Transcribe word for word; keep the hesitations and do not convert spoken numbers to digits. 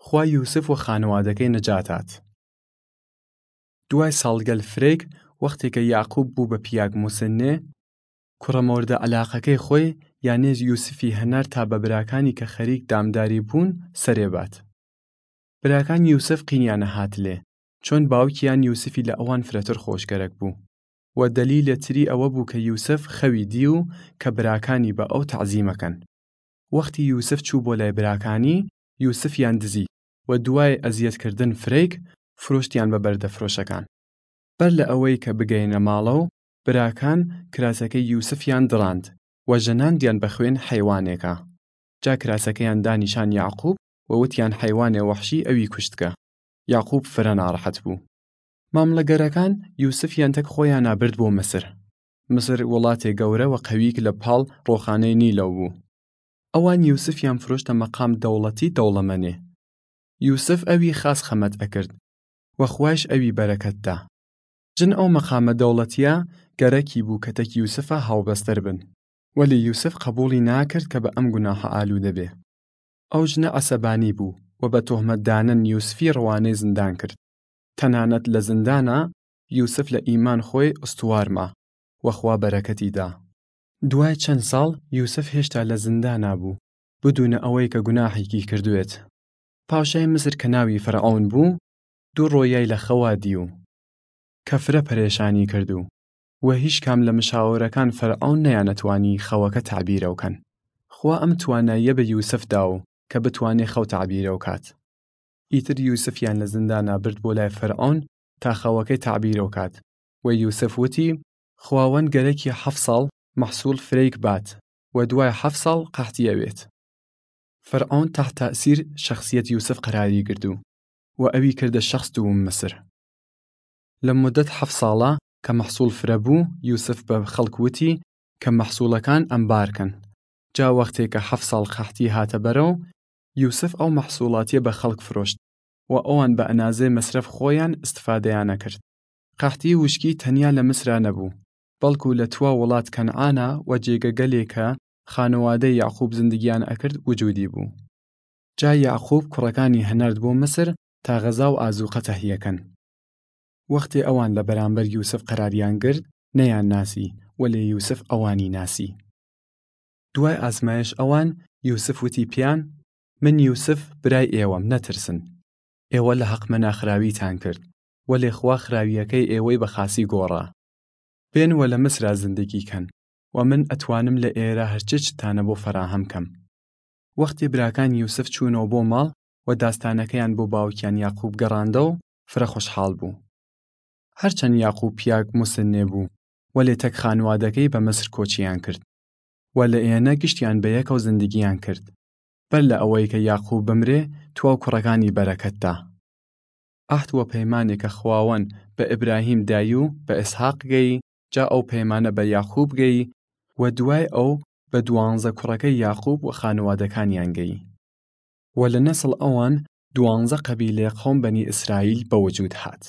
خوا یوسف و خانوادەکەی نەجاتات. دوای ساڵگەل فرەیگ، وەختێ کە یاقوب بۊ بە پیاگ موسنێ، کوڕە مۆردە عەلاقەکەی خوەی، یانێ یوسفی هەنار تا بە براکانی کە خەریک دامداری بۊن سەرێ بات. براکان یوسف قینیانە هاتلێ، چۆن باوکیان یوسفی لە ئەوان فرەتر خوەشگەرەک بۊ. و دەلیلێ تری ئەوە بۊ کە یوسف خەوی دی و کە براکانی بە ئەو تەعزیمە کەن. وەختی یوسف چۊ بۆ لای براکانی، یوسفیان دزی و دۊای ئەزیەتکردن فرەیگ، فروشتیان بە بەردەفرۆشەکان. بەر لە ئەوەی کە بگەێنە ماڵەو، براکان کراسەکەی یوسفیان دڕاند و ژەناندیان بە خوەن حەیوانێکا. جا کراسەکەیان دا نیشان یاقوب و وتیان حەیوانێ وەحشی ئەوی کوشتگە. یاقوب فرە ناڕەحەت بۊ. مامڵەگەرەکان یوسفیان تەک خوەیانا برد بۆ مسر. مسر وڵاتێ گەورە و قەوییگ لە پاڵ ڕۆخانەی نیلەو بۊ. ئەوان یوسفیان فروشتە مەقام دەوڵەتی دەوڵەمەنێ. یوسف ئەوی خاس خەمەت ئەکرد و خوایش ئەوی بەرەکەت دا. جن ئەو مەقامە دەوڵەتیە گەرەکی بۊ کە تەک یوسفا هاوبەستەر بن. وەلێ یوسف قەبووڵی ناکرد کە بە ئەم گوناحە ئالوودە بێ. ئەو ژنە عەسەبانی بۊ و بە تۆهمەت دانن یوسفی ڕەوانەی زندان کرد. تەنانەت لە زندانا یوسف لە ئیمان خوەی ئستوار ما و خوا بەرەکەتی دا. دوای چەن ساڵ یوسف هێشتا لە زندانا بۊ، بدوونە ئەوەی کە گوناحیکی کردوێت. پاوشای مسر کە ناوی فرعەون بۊ، دوو ڕۆیای لە خەوا دی و کە فرە پەرێشانی کرد و، و هیچ کام لە مشاورەکان فرعەون نەیانەتوانی خەوەکە تەعبیرەو کەن. خوا ئەم تواناییە بە یوسف دا و کە بتوانێ خەو تەعبیرەو کات. ئیتر یوسفیان لە زندانا برد بۆ لای فرعەون تا خەوەکەی تەعبیرەو کات و یوسف وتی، خواوەند گەرەکی هەفت ساڵ مەحسوڵ فرەیگ بات و دۊای هەفت ساڵ قەحتی ئەوێت. فرعەون تەحت تەئسیر شەخسیەت یوسف قەراری گردۊ و ئەوی کردە شەخس دووم مسر. لە مودەت هەفت ساڵە کە مەحسوڵ فرە بۊ، یوسف بە خەڵک وتی کە مەحسوڵەکان ئەمبار کەن. جا وەختێ کە هەفت ساڵ قەحتی هاتە بەرەو، یوسف ئەو مەحسوڵاتیە بە خەڵک فروشت و ئەوان بە ئەنازەێ مەسرەف خوەیان ئستفادەیانە کرد. قەحتی وشکی تەنیا لە مسرا نەبۊ، بەڵکو لە توا وڵات کەنعانا و جێگەگەلێ کە خانوادەی یاقوب زندگیان ئەکرد وجودی بۊ. جا یاقوب کوڕەکانی هەنارد بۆ مسر تا غەزا و ئازووقە تەهیە کەن. وەختێ ئەوان لە بەرامبەر یوسف قەراریان گرد، نەیان ناسی، وەلێ یوسف ئەوانی ناسی. دۊای ئازمایش ئەوان، یوسف وتی پیان، من یوسف برای ئێوەم، نەترسن. ئێوە لە هەقمەنا خراویتان کرد، وەلێ خوا خراویەکەی ئێوەی بە خاسی گۆڕا. بێن و لە مسرا زندگی کەن و من ئەتوانم لە ئێرە هەرچ چتانە بۆ فەراهەم کەم. وەختێ براکان یوسف چوونەوە بۆ ماڵ و داستانەکەیان بۆ باوکیان یاقوب گەڕاندەو، فرە خوەشحاڵ بۊ. هەرچەن یاقوب پیاگ موسنێ بۊ، وەلێ تەک خانوادەکەی بە مسر کۆچیان کرد و لە ئێنە گشتیان بە یەکەو زندگیان کرد. بەر لە ئەوەی کە یاقوب بمرێ، تواو کوڕەکانی بەرەکەت دا. ئەهد و پەیمانێ کە خواوەن بە ئبراهیم دایو بە ئسحاق گەی، جا ئەو پەیمانە بە یاقوب گەی و دۊای ئەو بە دوانزە کوڕەکەی یاقوب و خانوادەکانیان گەی. و لە نەسڵ ئەوان دوانزە قەبیلەێ قەوم بەنی ئسرائیل بە وجوود هات.